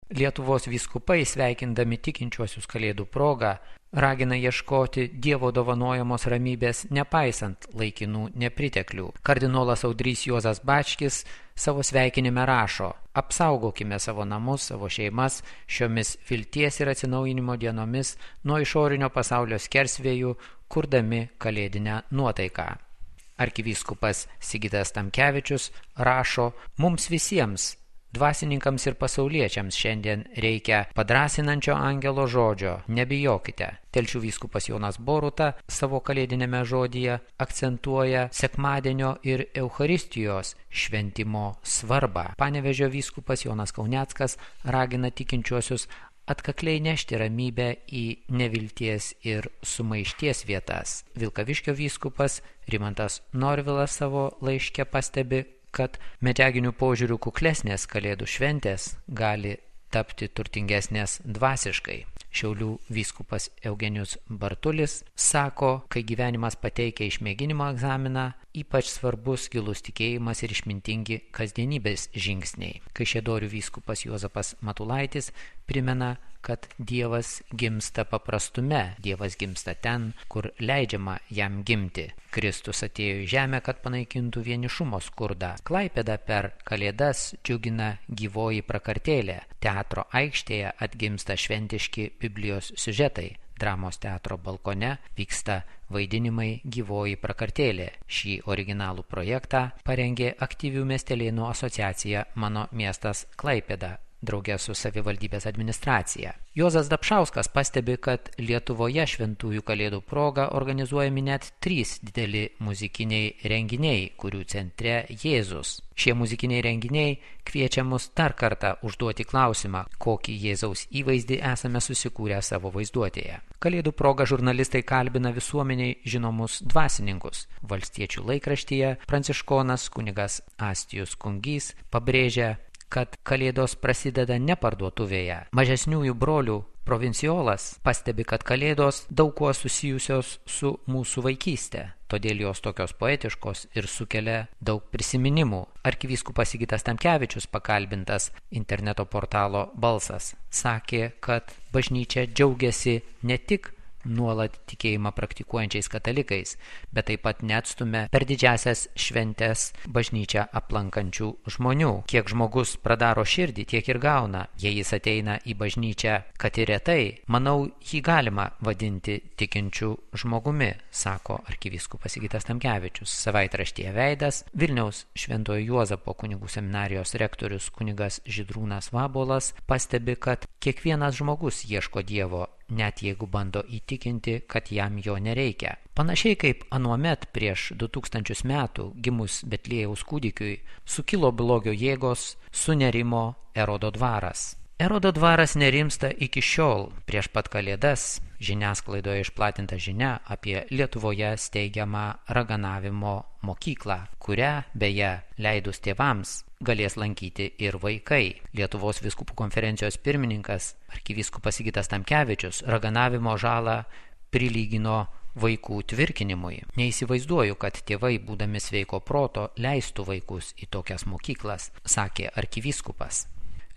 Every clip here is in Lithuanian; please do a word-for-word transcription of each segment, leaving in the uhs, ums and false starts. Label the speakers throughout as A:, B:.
A: Lietuvos vyskupai, sveikindami tikinčiuosius Kalėdų progą, ragina ieškoti Dievo dovanojamos ramybės nepaisant laikinų nepriteklių. Kardinolas Audrys Juozas Bačkis savo sveikinime rašo: apsaugokime savo namus, savo šeimas šiomis vilties ir atsinaujinimo dienomis nuo išorinio pasaulio skersvėjų, kurdami kalėdinę nuotaiką. Arkivyskupas Sigitas Tamkevičius rašo: mums visiems, dvasininkams ir pasauliečiams, šiandien reikia padrasinančio angelo žodžio: nebijokite. Telšių vyskupas Jonas Boruta savo kalėdinėme žodyje akcentuoja sekmadienio ir Eucharistijos šventimo svarbą. Panevėžio vyskupas Jonas Kauneckas ragina tikinčiuosius atkakliai nešti ramybę į nevilties ir sumaišties vietas. Vilkaviškio vyskupas Rimantas Norvilas savo laiške pastebi, kad medžiaginių požiūrių kuklesnės Kalėdų šventės gali tapti turtingesnės dvasiškai. Šiaulių vyskupas Eugenijus Bartulis sako, kai gyvenimas pateikia išmėginimo egzaminą, ypač svarbus gilus tikėjimas ir išmintingi kasdienybės žingsniai. Kaišiadorių vyskupas Juozapas Matulaitis primena, kad Dievas gimsta paprastume, Dievas gimsta ten, kur leidžiama jam gimti. Kristus atėjo į žemę, kad panaikintų vienišumo skurdą. Klaipėdą per Kalėdas džiugina gyvoji prakartėlė. Teatro aikštėje atgimsta šventiški Biblijos siužetai. Dramos teatro balkone vyksta vaidinimai gyvoji prakartėlė. Šį originalų projektą parengė aktyvių miestelėnų asociacija Mano miestas Klaipėda, drauge su savivaldybės administracija. Juozas Dapšauskas pastebi, kad Lietuvoje šventųjų Kalėdų proga organizuojami net trys dideli muzikiniai renginiai, kurių centre Jėzus. Šie muzikiniai renginiai kviečia mus dar kartą užduoti klausimą, kokį Jėzaus įvaizdį esame susikūrę savo vaizduotėje. Kalėdų proga žurnalistai kalbina visuomeniai žinomus dvasininkus. Valstiečių laikraštyje pranciškonas kunigas Astijus Kungys pabrėžia, kad Kalėdos prasideda ne parduotuvėje. Mažesniųjų brolių provinciolas pastebi, kad Kalėdos daug kuo susijusios su mūsų vaikystė, todėl jos tokios poetiškos ir sukelia daug prisiminimų. Arkivyskupas Sigitas Tamkevičius, pakalbintas interneto portalo Balsas, sakė, kad bažnyčia džiaugiasi ne tik nuolat tikėjimą praktikuojančiais katalikais, bet taip pat neatstumia per didžiasias šventes bažnyčią aplankančių žmonių. Kiek žmogus pradaro širdį, tiek ir gauna. Jei jis ateina į bažnyčią, kad ir retai, manau, jį galima vadinti tikinčių žmogumi, sako arkivyskupas Sigitas Tamkevičius. Savaitraštyje Veidas Vilniaus Šventojo Juozapo kunigų seminarijos rektorius kunigas Žydrūnas Vabolas pastebi, kad kiekvienas žmogus ieško Dievo, net jeigu bando įtikinti, kad jam jo nereikia. Panašiai kaip anuomet prieš du tūkstančius metų gimus Betliejaus kūdikiui sukilo blogio jėgos, sunerimo Erodo dvaras. Erodo dvaras nerimsta iki šiol. Prieš pat Kalėdas žiniasklaidoje išplatinta žinia apie Lietuvoje steigiamą raganavimo mokyklą, kurią, beje, leidus tėvams, galės lankyti ir vaikai. Lietuvos vyskupų konferencijos pirmininkas arkivyskupas Sigitas Tamkevičius raganavimo žalą prilygino vaikų tvirkinimui. Neįsivaizduoju, kad tėvai, būdami sveiko proto, leistų vaikus į tokias mokyklas, sakė arkivyskupas.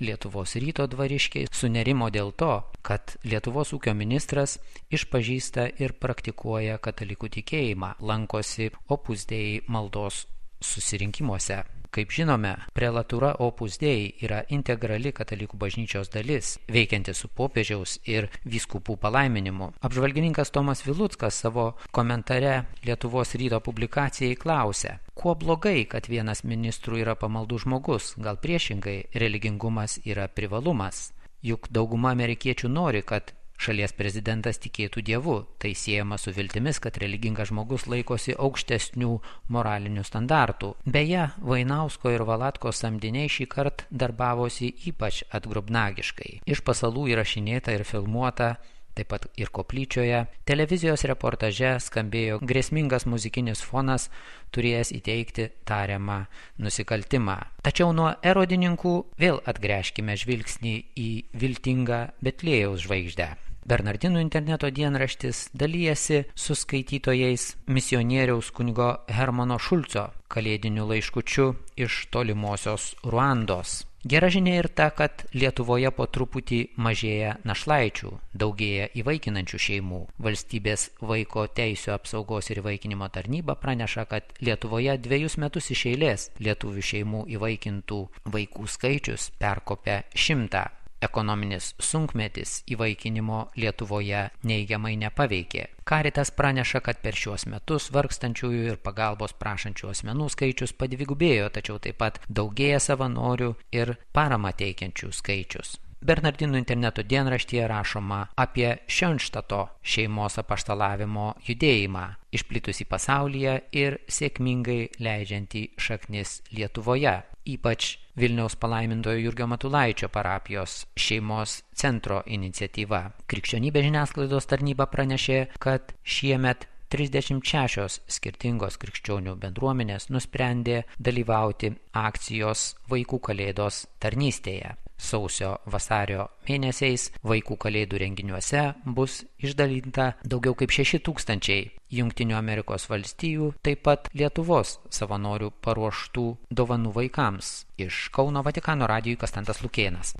A: Lietuvos ryto dvariškiai sunerimo dėl to, kad Lietuvos ūkio ministras išpažįsta ir praktikuoja katalikų tikėjimą, lankosi Opus Dei maldos susirinkimuose. Kaip žinome, prelatūra Opus Dei yra integrali katalikų bažnyčios dalis, veikianti su popiežiaus ir vyskupų palaiminimu. Apžvalgininkas Tomas Viluckas savo komentare Lietuvos ryto publikacijai klausia, kuo blogai, kad vienas ministrų yra pamaldų žmogus, gal priešingai, religingumas yra privalumas. Juk dauguma amerikiečių nori, kad šalies prezidentas tikėtų Dievu. Tai siejama su viltimis, kad religingas žmogus laikosi aukštesnių moralinių standartų. Beje, Vainausko ir Valatkos samdiniai šį kartą darbavosi ypač atgrubnagiškai. Iš pasalų įrašinėta ir filmuota, taip pat ir koplyčioje, televizijos reportaže skambėjo grėsmingas muzikinis fonas, turėjęs įteikti tariamą nusikaltimą. Tačiau nuo erodininkų vėl atgręžkime žvilgsnį į viltingą Betliejaus žvaigždę. Bernardinų interneto dienraštis dalijasi su skaitytojais misionieriaus kunigo Hermano Šulco kalėdiniu laiškučiu iš tolimosios Ruandos. Gera žinia ir ta, kad Lietuvoje po truputį mažėja našlaičių, daugėja įvaikinančių šeimų. Valstybės vaiko teisių apsaugos ir įvaikinimo tarnyba praneša, kad Lietuvoje dviejus metus iš eilės lietuvių šeimų įvaikintų vaikų skaičius perkopė šimtą. Ekonominis sunkmetis įvaikinimo Lietuvoje neigiamai nepaveikė. Caritas praneša, kad per šiuos metus vargstančiųjų ir pagalbos prašančių asmenų skaičius padvigubėjo, tačiau taip pat daugėja savanorių ir paramą teikiančių skaičius. Bernardinų interneto dienraštyje rašoma apie Šionštato šeimos apaštalavimo judėjimą, išplitusį pasaulyje ir sėkmingai leidžiantį šaknis Lietuvoje, ypač Vilniaus palaimintojo Jurgio Matulaičio parapijos šeimos centro iniciatyva. Krikščionybės žiniasklaidos tarnyba pranešė, kad šiemet trisdešimt šešios skirtingos krikščionių bendruomenės nusprendė dalyvauti akcijos Vaikų kalėdos tarnystėje. Sausio vasario mėnesiais vaikų kalėdų renginiuose bus išdalinta daugiau kaip šeši tūkstančiai Jungtinių Amerikos valstijų, taip pat Lietuvos savanorių paruoštų dovanų vaikams. Iš Kauno Vatikano radijui Kastantas Lukėnas.